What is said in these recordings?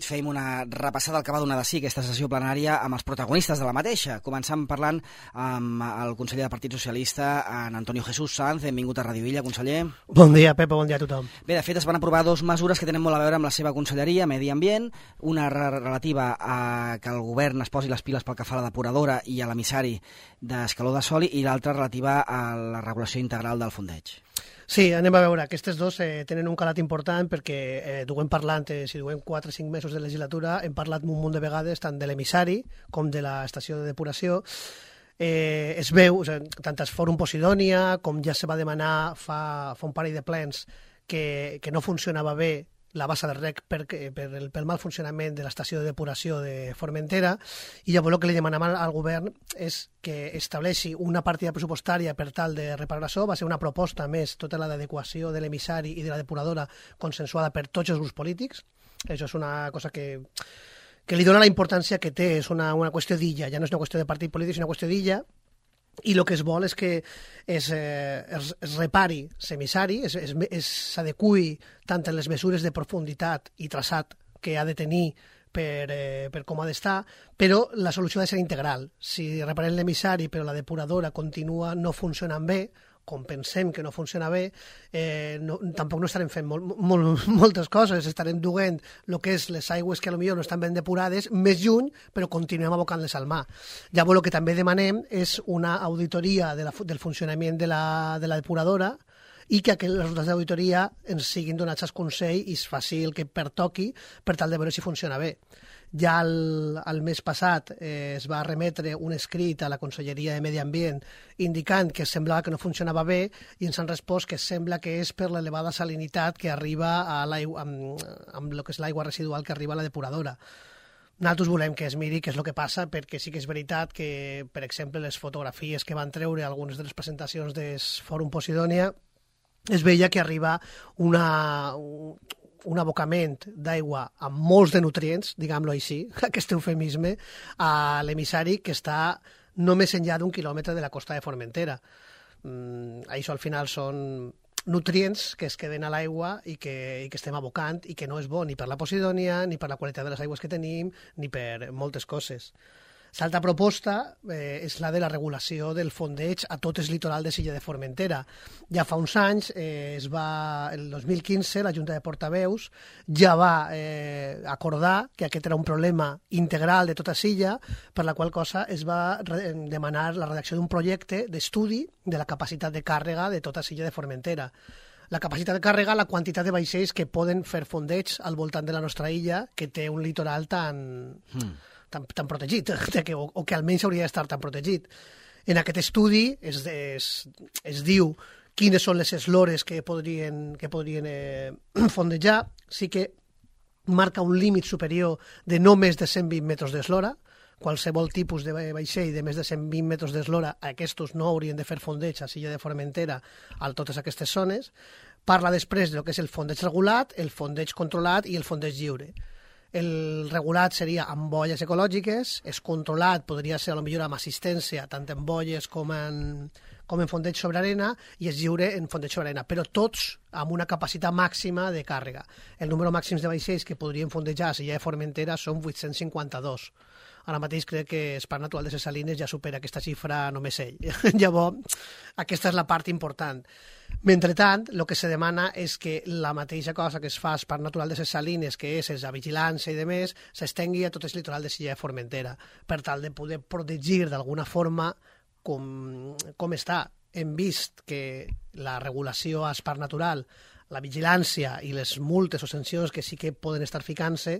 fem una repassada al que va donar de sí aquesta sessió plenària amb els protagonistes de la mateixa. Començant parlant amb el conseller del Partit Socialista, en Antonio Jesús Sanz. Benvingut a Radio Illa, conseller. Bon dia, Pepa, bon dia a tothom. Bé, de fet, es van aprovar dues mesures que tenen molt a veure amb la seva conselleria, Medi Ambient, una relativa a que el govern es posi les piles pel que fa a la depuradora i a l'emissari d'Escaló de Soli, i l'altra relativa a la regulació integral del fondeig. Sí, anem a veure. Aquestes dos tenen un calat important perquè duem parlant, si duem 4 o 5 mesos de legislatura, hem parlat un munt de vegades tant de l'emissari com de l'estació de depuració. Es veu, tant es Fòrum Posidònia com ja se va demanar fa un parell de plens que no funcionava bé la bassa de rec pel mal funcionament de l'estació de depuració de Formentera, i llavors el que li demanem al govern és que estableixi una partida pressupostària per tal de reparar això. Va ser una proposta més, tota la d'adequació de l'emissari i de la depuradora consensuada per tots els grups polítics. Això és una cosa que li dona la importància que té, és una qüestió d'illa, ja no és una qüestió de partit polític, és una qüestió d'illa, i el que es vol és que es repari l'emissari, s'adequi tant en les mesures de profunditat i traçat que ha de tenir per com ha d'estar, però la solució ha de ser integral. Si reparem l'emissari però la depuradora continua no funcionant bé, com pensem que no funciona bé, tampoc no estarem fent moltes coses, estarem duent el que és les aigües que potser no estan ben depurades més lluny, però continuem abocant-les al mar. Llavors el que també demanem és una auditoria del funcionament de la depuradora, i que els resultats d'auditoria ens siguin donats al Consell i es faci el que pertoqui per tal de veure si funciona bé. Ja el mes passat es va remetre un escrit a la Conselleria de Medi Ambient indicant que semblava que no funcionava bé, i ens han respost que sembla que és per l'elevada salinitat que arriba a l'aigua, amb el que és l'aigua residual que arriba a la depuradora. Nosaltres volem que es miri què és el que passa, perquè sí que és veritat que, per exemple, les fotografies que van treure algunes de les presentacions del Fòrum Posidònia, es veia que arriba un abocament d'aigua amb molts de nutrients, diguem-lo així, aquest eufemisme, a l'emissari que està no més enllà d'1 quilòmetre de la costa de Formentera. Això al final són nutrients que es queden a l'aigua i que estem abocant, i que no és bo ni per la Posidònia, ni per la qualitat de les aigües que tenim, ni per moltes coses. L'altra proposta és la de la regulació del fondeig a tot el litoral de l'illa de Formentera. Ja fa uns anys, el 2015, la Junta de Portaveus ja va acordar que aquest era un problema integral de tota l'illa, per la qual cosa es va demanar la redacció d'un projecte d'estudi de la capacitat de càrrega de tota l'illa de Formentera. La capacitat de càrrega, la quantitat de vaixells que poden fer fondeig al voltant de la nostra illa, que té un litoral tan protegit, o que almenys hauria d'estar tan protegit. En aquest estudi es diu quines són les eslores que podrien fondejar. Sí que marca un límit superior de no més de 120 metres d'eslora. Qualsevol tipus de vaixell de més de 120 metres d'eslora, aquests no haurien de fer fondeig a l'illa de Formentera a totes aquestes zones. Parla després del que és el fondeig regulat, el fondeig controlat i el fondeig lliure. El regulat seria amb bolles ecològiques, el controlat podria ser potser amb assistència tant en bolles com en fondeig sobre arena, i el lliure en fondeig sobre arena, però tots amb una capacitat màxima de càrrega. El número màxim de vaixells que podrien fondejar a l'illa de Formentera són 852. Ara mateix crec que el Parc Natural de les Salines ja supera aquesta xifra només ell. Llavors, aquesta és la part important. Mentrestant, el que se demana és que la mateixa cosa que es fa al Parc Natural de les Salines, que és la vigilància i demés, s'estengui a tot el litoral de l'illa de Formentera, per tal de poder protegir d'alguna forma com està. Hem vist que la regulació al Parc Natural, la vigilància i les multes o sancions que sí que poden estar ficant-se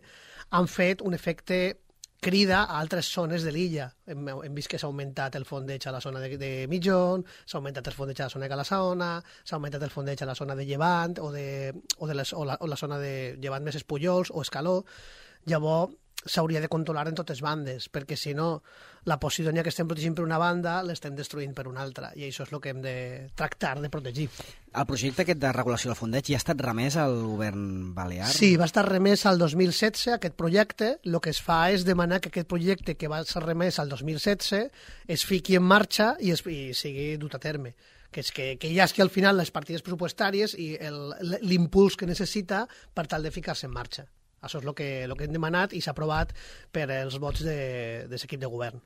han fet un efecte crida a altres zones de l'illa. Hem vist que s'ha augmentat el fondeig a la zona de Mitjón, s'ha augmentat el fondeig a la zona de Calassaona, s'ha augmentat el fondeig a la zona de Llevant o la zona de Llevant més Espullols o Escaló. Llavors s'hauria de controlar en totes bandes, perquè si no, la Posidònia que estem protegint per una banda l'estem destruint per una altra, i això és el que hem de tractar de protegir. El projecte aquest de regulació del fondeig ja ha estat remès al govern balear? Sí, va estar remès al 2016, aquest projecte. El que es fa és demanar que aquest projecte que va ser remès al 2016 es fiqui en marxa i sigui dut a terme. Que és que hi hagi al final les partides pressupostàries i l'impuls que necessita per tal de ficar-se en marxa. Això és el que hem demanat i s'ha aprovat per els vots de l'equip de govern.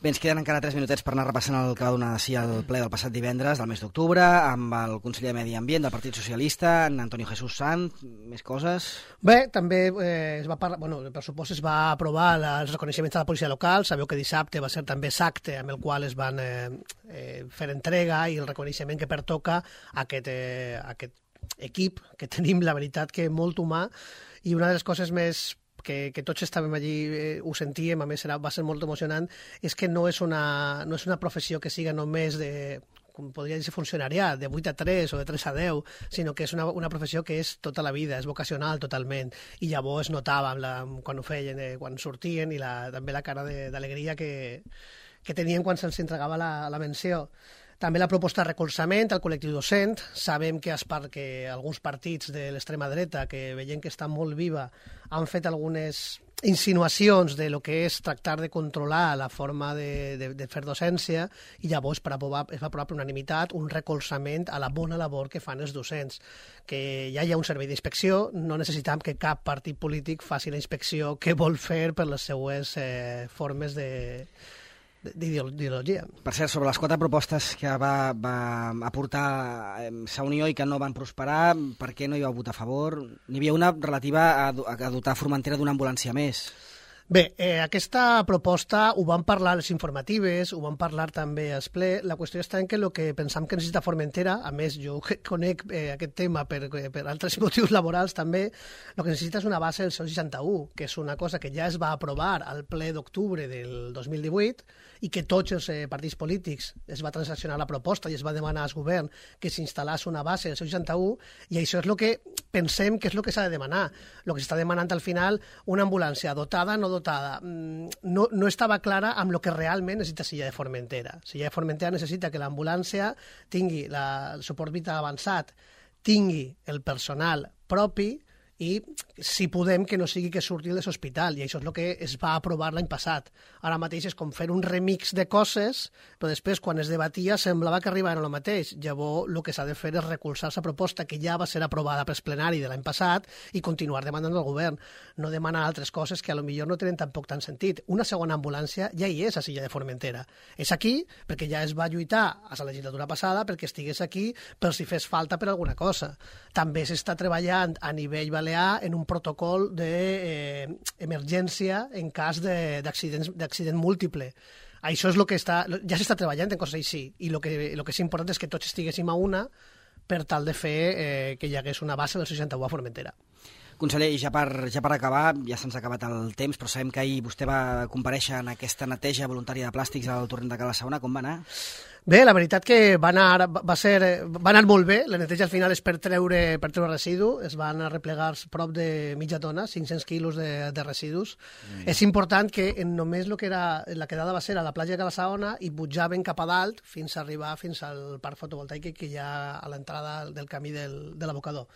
Bé, ens queden encara 3 minutets per anar repassant el que va donar sí el ple del passat divendres del mes d'octubre, amb el conseller de Medi Ambient del Partit Socialista, en Antonio Jesús Sanz, més coses? Bé, també es va parlar, el pressupost es va aprovar els reconeixements de la policia local. Sabeu que dissabte va ser també l'acte amb el qual es van fer entrega i el reconeixement que pertoca a aquest equip que tenim, la veritat, que molt humà, i una de les coses més que tots estàvem allí, ho sentíem, a més va ser molt emocionant, és que no és una professió que siga només de, com podria dir, funcionariat, de 8 a 3 o de 3 a 10, sinó que és una professió que és tota la vida, és vocacional totalment, i llavors es notava quan ho feien, quan sortien, i també la cara d'alegria que tenien quan se'ls entregava la menció. També la proposta de recolzament al col·lectiu docent. Sabem que alguns partits de l'extrema dreta, que veient que està molt viva, han fet algunes insinuacions de lo que és tractar de controlar la forma de fer docència, i llavors es va aprovar per unanimitat un recolzament a la bona labor que fan els docents, que ja hi ha un servei d'inspecció, no necessitem que cap partit polític faci la inspecció que vol fer per les seues formes d'ideologia. Per cert, sobre les 4 propostes que va aportar Sa Unió i que no van prosperar, per què no hi vau votar a favor? N'hi havia una relativa a dotar Formentera d'una ambulància més. Bé, aquesta proposta ho vam parlar a les informatives, ho vam parlar també al ple. La qüestió està en que el que pensam que necessita Formentera, a més jo conec aquest tema per altres motius laborals també, el que necessita és una base del 61, que és una cosa que ja es va aprovar al ple d'octubre del 2018 i que tots els partits polítics es va transaccionar la proposta i es va demanar al govern que s'instal·lés una base del 61, i això és el que pensem que és el que s'ha de demanar. El que s'està demanant al final, una ambulància dotada, no dotada, no estava clara amb el que realment necessita Silla de Formentera. Silla de Formentera necessita que l'ambulància tingui el suport vital avançat, tingui el personal propi i, si podem, que no sigui que surti de l'hospital, i això és el que es va aprovar l'any passat. Ara mateix és com fer un remix de coses, però després, quan es debatia, semblava que arribaven al mateix. Llavors, el que s'ha de fer és recolzar la proposta que ja va ser aprovada pel plenari de l'any passat i continuar demandant al govern. No demanar altres coses que potser no tenen tampoc tant sentit. Una segona ambulància ja hi és a Silla de Formentera. És aquí perquè ja es va lluitar a la legislatura passada perquè estigués aquí per si fes falta per alguna cosa. També s'està treballant a nivell balear en un protocol d'emergència en cas d'accident múltiple. Això és el que ja s'està treballant en coses així, i el que és important és que tots estiguéssim a una per tal de fer que hi hagués una base del 61 a Formentera. Conseller, i ja per acabar, ja se'ns ha acabat el temps, però sabem que ahir vostè va comparèixer en aquesta neteja voluntària de plàstics al torrent de Cala Saona. Com va anar? Bé, la veritat que va anar molt bé. La neteja al final és per treure residu. Es van arreplegar prop de mitja tona, 500 quilos de residus. És important que només la quedada va ser a la platja de Cala Saona i pujaven cap a dalt fins a arribar fins al parc fotovoltaic que hi ha a l'entrada del camí de l'abocador.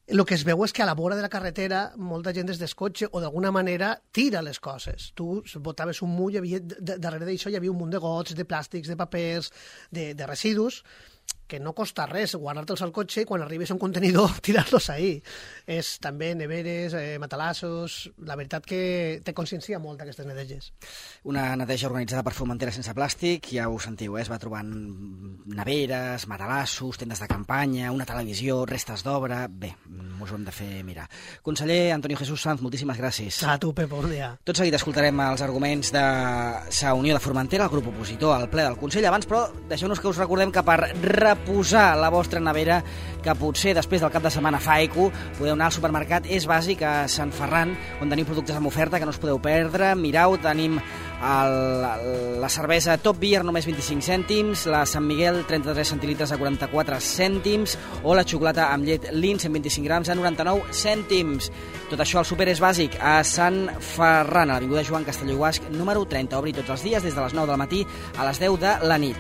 El que es veu és que a la vora de la carretera molta gent des del cotxe o d'alguna manera tira les coses. Tu botaves un mull, darrere d'això hi havia un munt de gots, de plàstics, de papers, de residus, que no costa res guardar-te'ls al cotxe i quan arribes a un contenidor tirar-los ahí. És també neveres, matalassos. La veritat que te consciencia molt aquestes neteges. Una neteja organitzada per Formentera sense plàstic, ja ho sentiu, es va trobant neveres, matalassos, tendes de campanya, una televisió, restes d'obra. Bé, us ho hem de fer mirar. Conseller Antonio Jesús Sanz, moltíssimes gràcies. A tu, Pep, bon dia. Tot seguit escoltarem els arguments de Sa Unió de Formentera, el grup opositor al ple del Consell. Abans, però, deixeu-nos que us recordem que per reposar la vostra nevera, que potser després del cap de setmana fa eco, podeu anar al supermercat És Bàsic a Sant Ferran, on tenim productes amb oferta que no us podeu perdre. Mirau, tenim la cervesa Top Beer només 25 cèntims, la Sant Miguel 33 centilitres a 44 cèntims o la xocolata amb llet Lindt 125 grams a 99 cèntims. Tot això al Super És Bàsic a Sant Ferran, a l'avinguda Joan Castelló i Guasch, número 30. Obri tots els dies des de les 9 del matí a les 10 de la nit.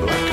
Like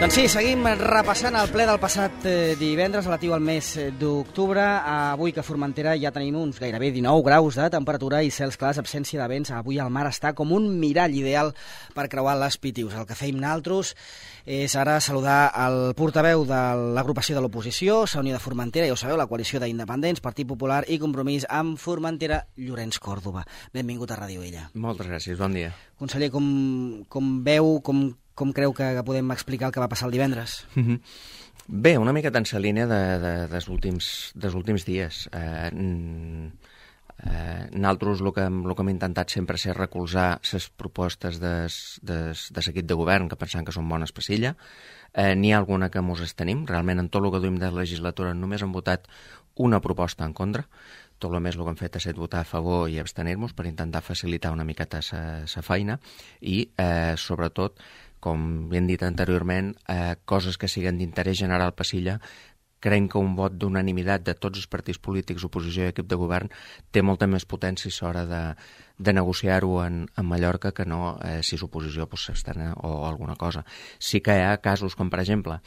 Doncs sí, seguim repassant el ple del passat divendres relatiu al mes d'octubre. Avui que a Formentera ja tenim uns gairebé 19 graus de temperatura i cels clars, absència de vents. Avui el mar està com un mirall ideal per creuar les Pitius. El que feim naltros és ara saludar el portaveu de l'agrupació de l'oposició, la Unió de Formentera, ja ho sabeu, la coalició d'independents, Partit Popular i Compromís amb Formentera, Llorenç Còrdova. Benvingut a Ràdio Illa. Moltes gràcies, bon dia. Conseller, com veu, com creu que podem explicar el que va passar el divendres? Bé, una mica en la línia dels últims dies. Nosaltres el que hem intentat sempre és recolzar les propostes de l'equip de govern que pensem que són bones per l'illa. N'hi ha alguna que mos estenim. Realment, en tot el que duim de legislatura només hem votat una proposta en contra. Tot el més el que hem fet ha estat votar a favor i abstenir-nos per intentar facilitar una miqueta la feina i, sobretot, com hem dit anteriorment, coses que siguin d'interès general per l'illa. Creiem que un vot d'unanimitat de tots els partits polítics, oposició i equip de govern té molta més potència a l'hora de negociar-ho en Mallorca que no si l'oposició s'abstén o alguna cosa. Sí que hi ha casos com, per exemple,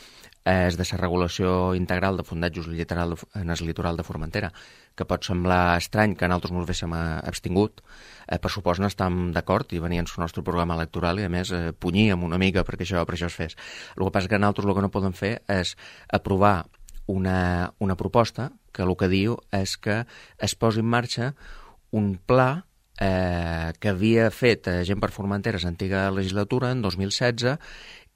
és de la regulació integral de fondatges en el litoral de Formentera, que pot semblar estrany que nosaltres ens haguéssim abstingut. Per supost no estàvem d'acord i venia en el nostre programa electoral i, a més, punyíem una mica perquè això es fes. El que passa és que nosaltres el que no podem fer és aprovar una proposta que el que diu és que es posi en marxa un pla que havia fet Gent per Formentera l'antiga legislatura, en 2016,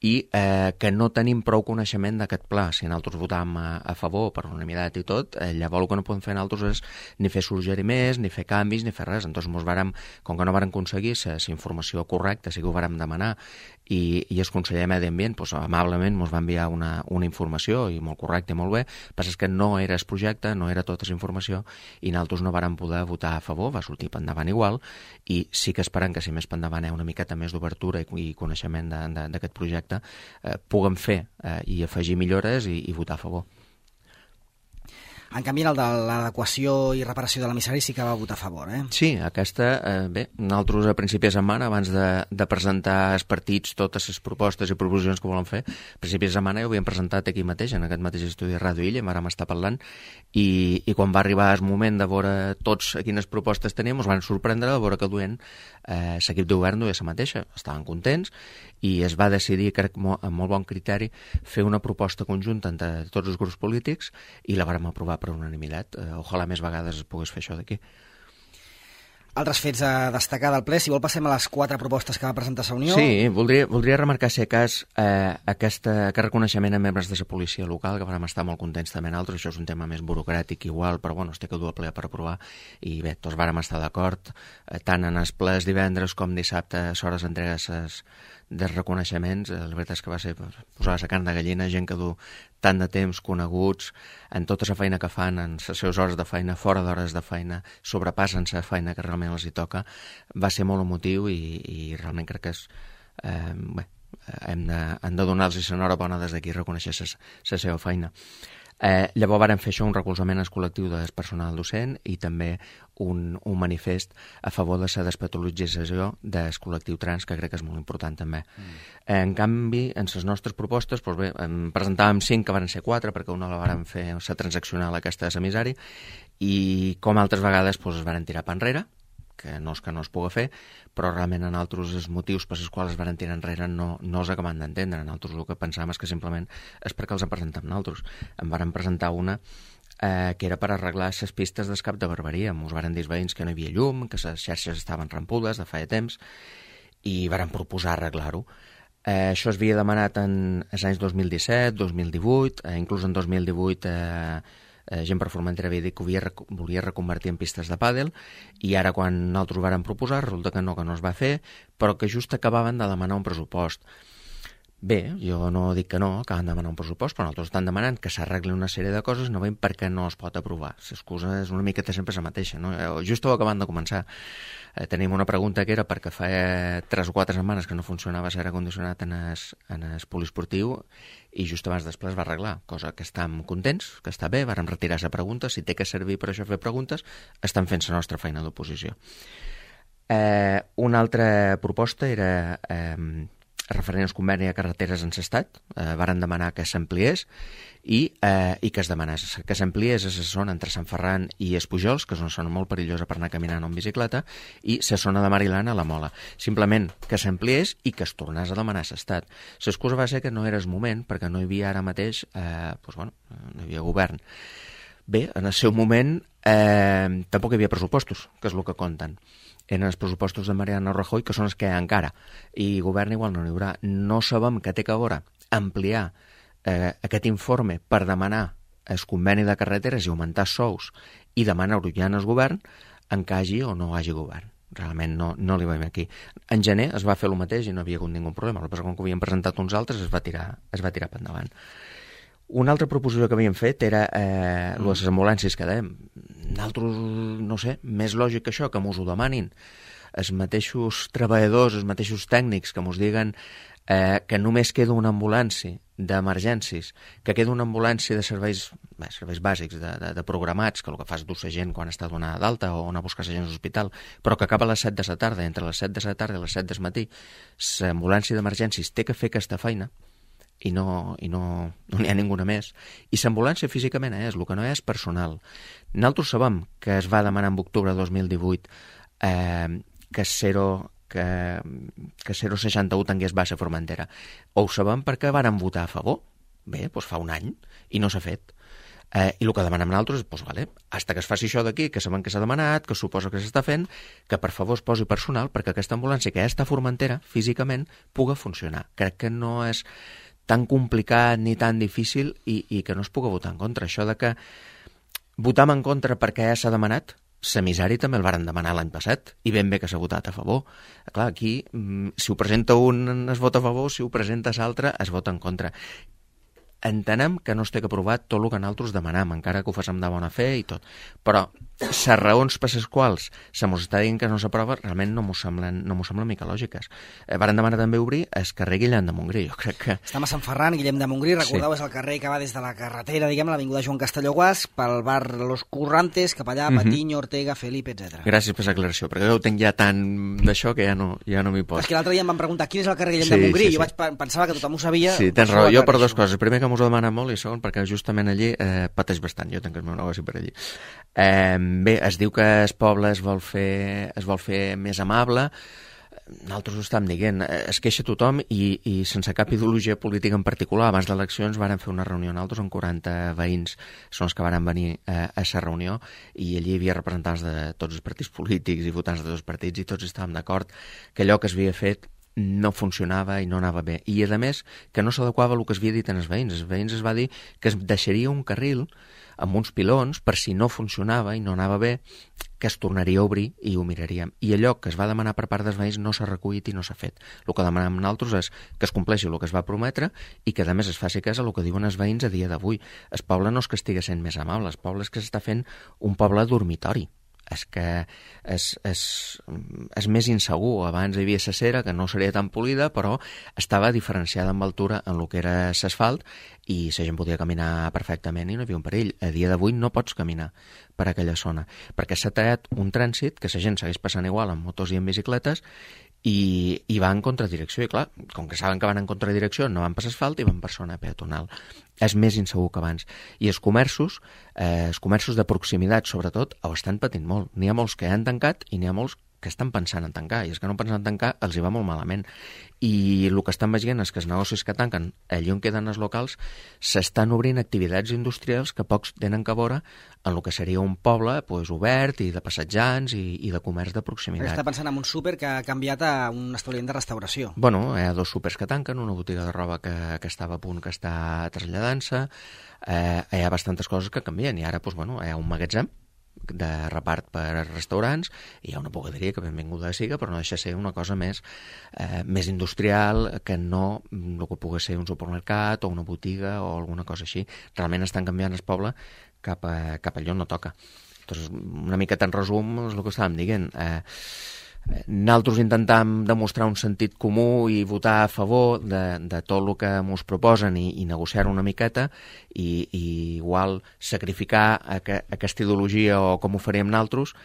i que no tenim prou coneixement d'aquest pla. Si nosaltres votàvem a favor per unanimitat i tot, llavors el que no podem fer nosaltres és ni fer suggeriments, ni fer canvis, ni fer res. Entonces, com que no vàrem aconseguir la informació correcta, sí que ho vàrem demanar, i el conseller de Medi Ambient amablement ens va enviar una informació i molt correcta i molt bé. El que passa és que no era el projecte, no era tota la informació, i nosaltres no vàrem poder votar a favor, va sortir per endavant igual, i sí que esperem que si més per endavant hi ha una miqueta més d'obertura i coneixement d'aquest projecte, puguem fer i afegir millores i votar a favor. En canvi, el de l'adequació i reparació de l'emissari sí que va votar a favor, eh? Sí, aquesta, bé, nosaltres a principi de setmana, abans de presentar als partits totes les propostes i proposicions que volen fer, a principi de setmana ja ho havíem presentat aquí mateix, en aquest mateix estudi de Ràdio Illa, vam estar parlant, i quan va arribar el moment de veure tots quines propostes teníem, ens van sorprendre de veure que duien l'equip de govern duia la mateixa, estaven contents, i es va decidir, crec, amb molt bon criteri, fer una proposta conjunta entre tots els grups polítics i la vàrem aprovar per unanimitat. Ojalà més vegades es pogués fer això d'aquí. Altres fets a destacar del ple, si vol passem a les 4 propostes que va presentar la Unió. Sí, voldria remarcar, si a cas, aquest reconeixement a membres de la policia local, que vam estar molt contents també nosaltres. Això és un tema més burocràtic igual, però bueno, es té que dur al ple per aprovar, i bé, tots vàrem estar d'acord, tant en els plens divendres com dissabte, a l'hora d'entregar dels reconeixements. La veritat és que va ser posar la carn de gallina, gent que du tant de temps, coneguts, en tota la feina que fan, en les seves hores de feina, fora d'hores de feina, sobrepassen la feina que realment els hi toca. Va ser molt emotiu i realment crec que és... bé, hem de donar-los l'enhorabona des d'aquí, reconèixer la seva feina. Llavors vàrem fer això, un recolzament al col·lectiu del personal docent i també un manifest a favor de la despatologització del col·lectiu trans, que crec que és molt important també. En canvi, en les nostres propostes, doncs bé, en presentàvem 5, que van ser 4, perquè una la vàrem fer la transaccional aquesta de l'emissari, i com altres vegades es varen tirar per enrere, que no es pugui fer, però realment en altres els motius per als quals es van tirar enrere no els acabem d'entendre. Nosaltres el que pensàvem és que simplement és perquè els en presentem nosaltres. En varen presentar una que era per arreglar les pistes d'escap de Barberia. Ens varen dir els veïns que no hi havia llum, que les xarxes estaven rampudes de feia temps, i varen proposar arreglar-ho. Això es havia demanat en els anys 2017, 2018, inclús en 2018 Gent per Formentera havia dit que volia reconvertir en pistes de pàdel, i ara quan nosaltres ho vàrem proposar resulta que no es va fer, però que just acabaven de demanar un pressupost. Bé, jo no dic que no, acaben de demanar un pressupost, però nosaltres estan demanant que s'arregli una sèrie de coses, no veiem per què no es pot aprovar. L'excusa és una miqueta sempre la mateixa, no? Just ho acabant de començar. Tenim una pregunta que era perquè fa 3 o 4 setmanes que no funcionava l'aire condicionat en el poliesportiu, i just abans després va arreglar, cosa que estem contents, que està bé, vàrem retirar la pregunta, si té que servir per això fer preguntes, estan fent la nostra feina d'oposició. Una altra proposta era referent al conveni de carreteres encestat, varen demanar que s'ampliés i que es demanés que s'ampliés a la zona entre Sant Ferran i Espujols, que és una zona molt perillosa per anar caminant o en bicicleta, i la zona de Marilán a la Mola. Simplement que s'ampliés i que es tornés a demanar a l'Estat. L'excusa va ser que no era el moment, perquè no hi havia ara mateix, no hi havia govern. Bé, en el seu moment tampoc hi havia pressupostos, que és el que compten. Eren els pressupostos de Mariano Rajoy, que són els que hi ha encara, i govern igual no n'hi haurà. No sabem que té que veure ampliar aquest informe per demanar el conveni de carreteres i augmentar sous i demanar urgent al govern en que hagi o no hagi govern. Realment no li veiem aquí. En gener es va fer el mateix i no havia hagut ningú problema. El que passa com que ho havien presentat uns altres es va tirar per endavant. Una altra proposició que havíem fet era les ambulàncies que dèiem. Nosaltres, no sé, més lògic que això, que mos ho demanin els mateixos treballadors, els mateixos tècnics que mos diguen que només queda una ambulància d'emergències, que queda una ambulància de serveis bàsics, de programats, que el que fa és dur la gent quan està donada d'alta o anar a buscar la gent a l'hospital, però que acaba a les 7 de la tarda, entre les 7 de la tarda i les 7 del matí, l'ambulància d'emergències té que fer aquesta feina, i no n'hi ha ninguna més. I l'ambulància físicament és, el que no és personal. Nosaltres sabem que es va demanar en octubre de 2018 que 061 tingués baixa Formentera. Ho sabem perquè varen votar a favor. Bé, doncs fa un any, i no s'ha fet. I el que demanem nosaltres és, doncs, vale, hasta que es faci això d'aquí, que sabem que s'ha demanat, que suposa que s'està fent, que per favor es posi personal perquè aquesta ambulància que ja està a Formentera, físicament, pugui funcionar. Crec que no és tan complicat ni tan difícil i que no es pugui votar en contra. Això de que votam en contra perquè ja s'ha demanat, l'emissari també el varen demanar l'any passat i ben bé que s'ha votat a favor. Clar, aquí, si ho presenta un es vota a favor, si ho presenta l'altre es vota en contra. Entenem que no es té que aprovar tot el que nosaltres demanem, encara que ho facem de bona fe i tot. Però les raons per les quals se mos està dient que no s'aprova realment no m'ho semblen mica lògiques. Varen demanar també obrir el carrer Guillem de Montgrí, jo crec que... Estem a Sant Ferran, Guillem de Montgrí, recordeu, és el carrer que va des de la carretera, diguem, l'avinguda Joan Castelló Guas, pel bar Los Currantes, cap allà, Patiño, Ortega, Felipe, etc. Gràcies per l'aclaració, perquè jo ho tenc ja tant d'això que ja no m'hi poso. És que l'altre dia em van preguntar quin és el carrer Guillem de Montgrí, jo pensava que tothom ho sabia. Sí, tens raó, jo per dues coses. Primer, que m'ho demana molt, i segon, perquè justament allí pateix bastant, jo tenc el meu negoci per allí. Bé, es diu que el poble es vol fer més amable. Nosaltres ho estàvem dient, es queixa tothom i sense cap ideologia política en particular. Abans d'eleccions varen fer una reunió nosaltres amb 40 veïns, són els que varen venir a la reunió, i allí hi havia representants de tots els partits polítics i votants de tots els partits, i tots estàvem d'acord que allò que s'havia fet no funcionava i no anava bé. I, a més, que no s'adequava el que es havia dit als veïns. Els veïns es va dir que es deixaria un carril amb uns pilons per si no funcionava i no anava bé, que es tornaria a obrir i ho miraríem. I allò que es va demanar per part dels veïns no s'ha recollit i no s'ha fet. El que demanem nosaltres és que es compleixi el que es va prometre i que, a més, es faci cas a el que diuen els veïns a dia d'avui. El poble no és que estigui sent més amable, el poble és que s'està fent un poble dormitori. És que és més insegur. Abans hi havia la cera, que no seria tan polida, però estava diferenciada amb altura en el que era l'asfalt i la gent podia caminar perfectament i no hi havia un perill. A dia d'avui no pots caminar per aquella zona, perquè s'ha tallat un trànsit que la gent segueix passant igual amb motos i en bicicletes i va en contradirecció. I clar, com que saben que van en contradirecció, no van per asfalt i van per zona peatonal. És més insegur que abans. I els comerços de proximitat, sobretot, ho estan patint molt. N'hi ha molts que han tancat i n'hi ha molts que estan pensant en tancar, i els que no pensen en tancar els hi va molt malament. I el que estan veient és que els negocis que tanquen allí on queden els locals s'estan obrint activitats industrials que pocs tenen que veure en el que seria un poble obert i de passejants i de comerç de proximitat. Està pensant en un súper que ha canviat a un establiment de restauració. Bueno, hi ha 2 súpers que tanquen, una botiga de roba que estava a punt que està traslladant-se, hi ha bastantes coses que canvien, i ara hi ha un magatzem de repart per restaurants i hi ha una bugaderia que benvinguda siga, però no deixa de ser una cosa més industrial que no el que pugui ser un supermercat o una botiga o alguna cosa així. Realment estan canviant el poble cap a allò on no toca. Entonces, una mica en resum és el que estàvem dient. Nosaltres intentam demostrar un sentit comú i votar a favor de tot el que ens proposen i negociar una miqueta i igual sacrificar aquesta ideologia o com ho faríem nosaltres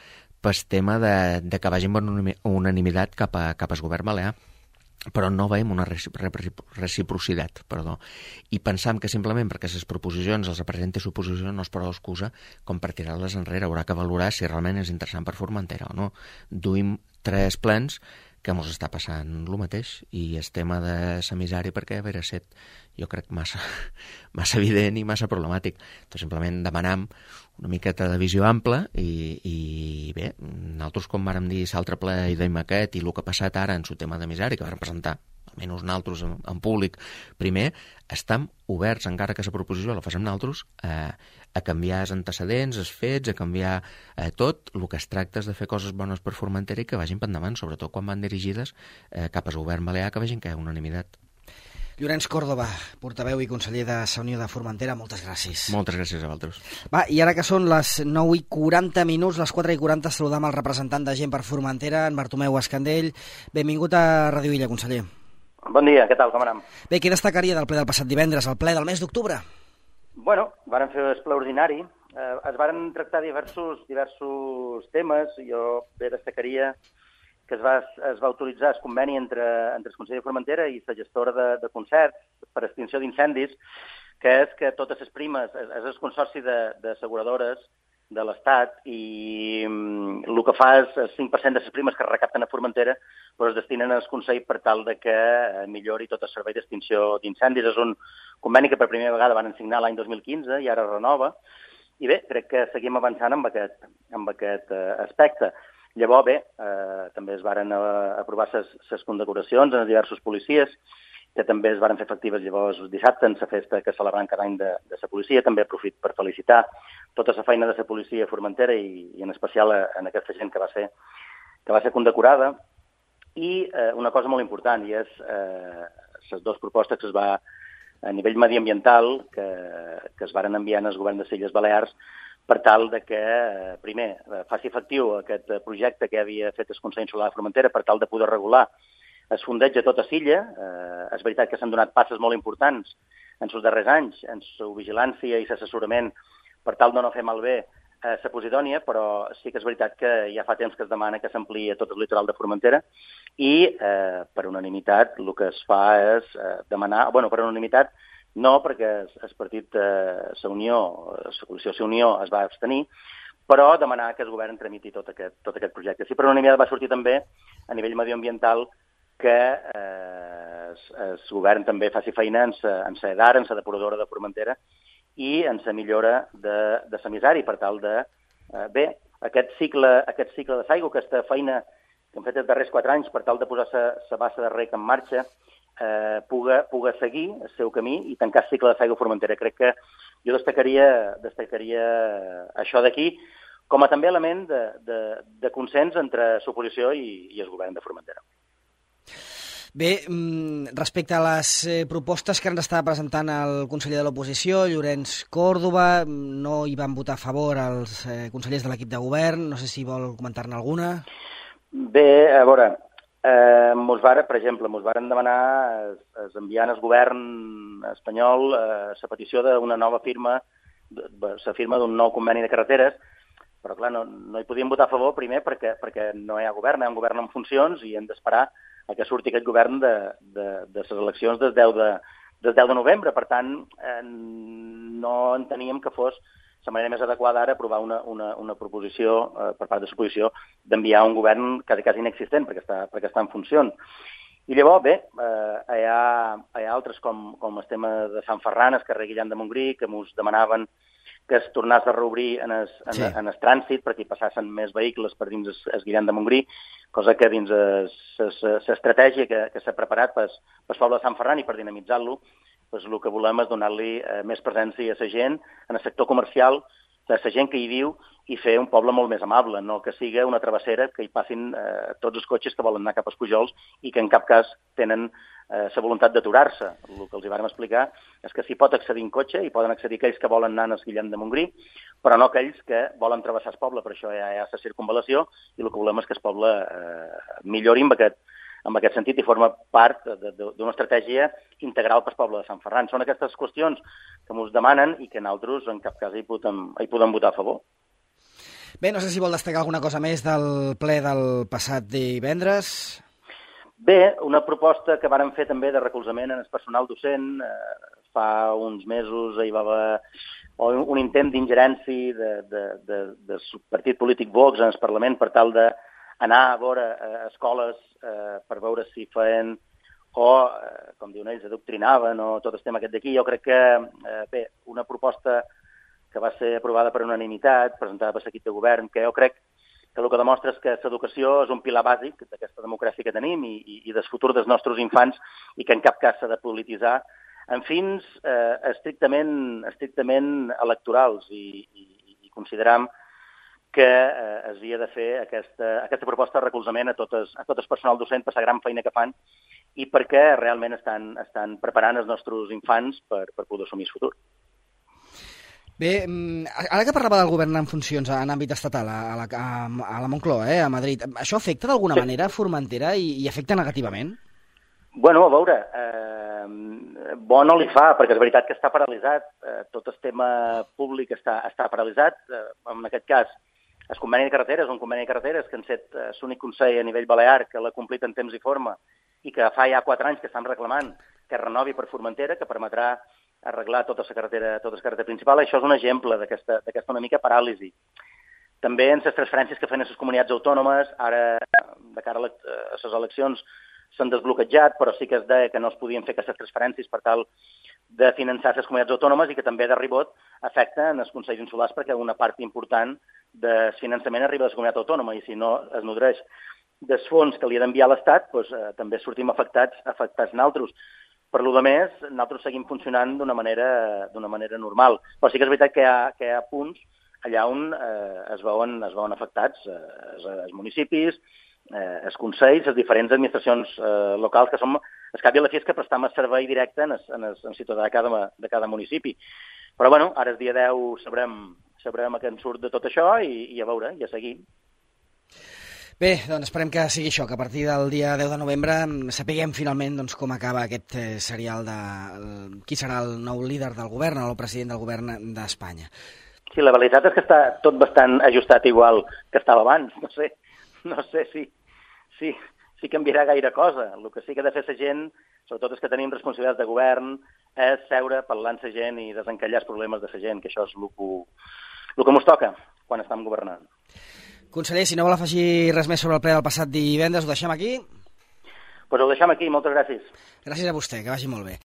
pel tema de que vagin per unanimitat cap al govern balear. però no veiem una reciprocitat, i pensam que simplement perquè les proposicions els presenta l'oposició no és prou excusa com per tirar-les enrere. Haurà que valorar si realment és interessant per Formentera o no. Duim 3 plens que ens està passant el mateix, i el tema de la misèria, perquè haver set, jo crec, massa evident i massa problemàtic. Doncs simplement demanam una miqueta de visió ampla i bé, nosaltres, com vàrem dir l'altre ple i deim aquest, i el que ha passat ara en el tema de misèria, que vàrem presentar almenys nosaltres en públic primer, estem oberts, encara que la proposició la fem nosaltres, a canviar els antecedents, els fets, a canviar tot. El que es tracta és de fer coses bones per Formentera i que vagin per endavant, sobretot quan van dirigides cap al govern balear, que vegin que hi ha unanimitat. Llorenç Còrdova, portaveu i conseller de la Unió de Formentera, moltes gràcies. Moltes gràcies a vosaltres. Va, i ara que són les 9:40, les 4:40, saludam el representant de Gent per Formentera, en Bartomeu Escandell. Benvingut a Radio Illa, conseller. Bon dia, què tal, com anem? Bé, què destacaria del ple del passat divendres, el ple del mes d'octubre? Bueno, varen fer el ple ordinari, es varen tractar diversos temes. Jo bé destacaria que es va autoritzar el conveni entre el Consell de Formentera i la gestora de concerts per extinció d'incendis, que és que totes les primes, és el consorci d'asseguradores de l'Estat, i el que fa és el 5% de les primes que es recapten a Formentera es destinen al Consell per tal de que millori tot el servei d'extinció d'incendis. És un conveni que per primera vegada van signar l'any 2015 i ara es renova. I bé, crec que seguim avançant amb aquest aspecte. Llavors, bé, també es varen aprovar les condecoracions en diversos policies, que també es varen fer efectives llavors dissabte en la festa que celebrant cada any de la policia. També aprofito per felicitar tota la feina de la policia a Formentera i en especial en aquesta gent que va ser condecorada. I una cosa molt important, i és les dues propostes que es va a nivell mediambiental que es varen enviar al govern de les Illes Balears per tal de que, primer, faci efectiu aquest projecte que havia fet el Consell Insular de Formentera per tal de poder regular el fondeig a tota l'illa. És veritat que s'han donat passes molt importants en els darrers anys en la vigilància i l'assessorament per tal de no fer malbé la Posidònia, però sí que és veritat que ja fa temps que es demana que s'ampliï a tot el litoral de Formentera i per unanimitat el que es fa és demanar, per unanimitat no, perquè el partit la Unió, la coalició La Unió es va abstenir, però demanar que el govern tramiti tot aquest projecte. Sí, per unanimitat va sortir també a nivell mediambiental que el govern també faci feina en la EDAR, en la depuradora de Formentera, i en la millora de la misèria, per tal de, aquest cicle de l'aigua, aquesta feina que hem fet els darrers 4 anys per tal de posar la bassa de rec en marxa, puga seguir el seu camí i tancar el cicle de l'aigua a Formentera. Crec que jo destacaria això d'aquí com a també element de consens entre l'oposició i el govern de Formentera. Bé, respecte a les propostes que ens estava presentant el conseller de l'oposició, Llorenç Còrdova, no hi van votar a favor els consellers de l'equip de govern. No sé si vol comentar-ne alguna. Bé, a veure, per exemple, ens varen demanar enviar al govern espanyol la petició d'una nova firma, la firma d'un nou conveni de carreteres, però clar, no hi podíem votar a favor, primer perquè no hi ha govern, hi ha un govern en funcions i hem d'esperar a que surti aquest govern de les eleccions del 10 de novembre. Per tant, no enteníem que fos la manera més adequada ara aprovar una proposició per part de l'oposició d'enviar un govern quasi inexistent perquè està en funcions. I llavors, bé, hi ha altres com el tema de Sant Ferran, el carrer Guillem de Montgrí, que ens demanaven que es tornés a reobrir en el trànsit perquè hi passassen més vehicles per dins el Guillem de Montgrí, cosa que dins l'estratègia que s'ha preparat pel poble de Sant Ferran i per dinamitzar-lo, el que volem és donar-li més presència a la gent, en el sector comercial, a la gent que hi viu, i fer un poble molt més amable, no que sigui una travessera que hi passin tots els cotxes que volen anar cap als Pujols i que en cap cas tenen la voluntat d'aturar-se. El que els hi vàrem explicar és que s'hi pot accedir en cotxe i poden accedir aquells que volen anar al Guillem de Montgrí, però no aquells que volen travessar el poble. Per això hi ha la circunvalació i el que volem és que el poble millori en aquest sentit i forma part d'una estratègia integral per al poble de Sant Ferran. Són aquestes qüestions que ens demanen i que nosaltres en cap cas hi podem votar a favor. Bé, no sé si vol destacar alguna cosa més del ple del passat divendres. Bé, una proposta que vàrem fer també de recolzament en el personal docent. Fa uns mesos hi va haver un intent d'ingerència del partit polític Vox en el Parlament per tal d'anar a veure escoles per veure si feien o, com diuen ells, adoctrinaven o tot el tema aquest d'aquí. Jo crec que, bé, una proposta que va ser aprovada per unanimitat, presentada per l'equip de govern, que jo crec que el que demostra és que l'educació és un pilar bàsic d'aquesta democràcia que tenim i del futur dels nostres infants i que en cap cas s'ha de polititzar en fins estrictament electorals i consideram que s'havia de fer aquesta proposta de recolzament a tot el personal docent per la gran feina que fan i perquè realment estan preparant els nostres infants per poder assumir el futur. Bé, ara que parlava del govern en funcions en àmbit estatal, a la Moncloa, a Madrid, això afecta d'alguna manera Formentera i afecta negativament? Bueno, a veure, bo no li fa, perquè és veritat que està paralitzat, tot el tema públic està paralitzat, en aquest cas el conveni de carreteres, un conveni de carreteres que han set l'únic consell a nivell balear que l'ha complit en temps i forma i que fa ja 4 anys que estan reclamant que renovi per Formentera, que permetrà arreglar tota la carretera principal. Això és un exemple d'aquesta una mica paràlisi. També en les transferències que fan les comunitats autònomes, ara, de cara a les eleccions, s'han desbloquejat, però sí que es deia que no es podien fer aquestes transferències per tal de finançar les comunitats autònomes i que també de ribot afecten els consells insulars perquè una part important del finançament arriba a la comunitat autònoma i si no es nodreix dels fons que li ha d'enviar l'Estat, doncs, també sortim afectats nosaltres. Per lo de més, nosaltres seguim funcionant d'una manera normal. Però sí que és veritat que hi ha punts allà on es veuen afectats els municipis, els consells, les diferents administracions locals, que som, al cap i a la fi, que prestam el servei directe en ciutadà de cada municipi. Però, bueno, ara el dia 10 sabrem a què en surt de tot això i a veure, i a seguir. Bé, doncs esperem que sigui això, que a partir del dia 10 de novembre sapiguem finalment doncs, com acaba aquest serial de qui serà el nou líder del govern, el nou president del govern d'Espanya. Sí, la veritat és que està tot bastant ajustat igual que estava abans. No sé si canviarà gaire cosa. El que sí que ha de fer la gent, sobretot els que tenim responsabilitats de govern, és seure, parlar amb la gent i desencallar els problemes de la gent, que això és el que ens toca quan estem governant. Conseller, si no vol afegir res més sobre el ple del passat divendres, ho deixem aquí? Doncs ho deixem aquí, moltes gràcies. Gràcies a vostè, que vagi molt bé.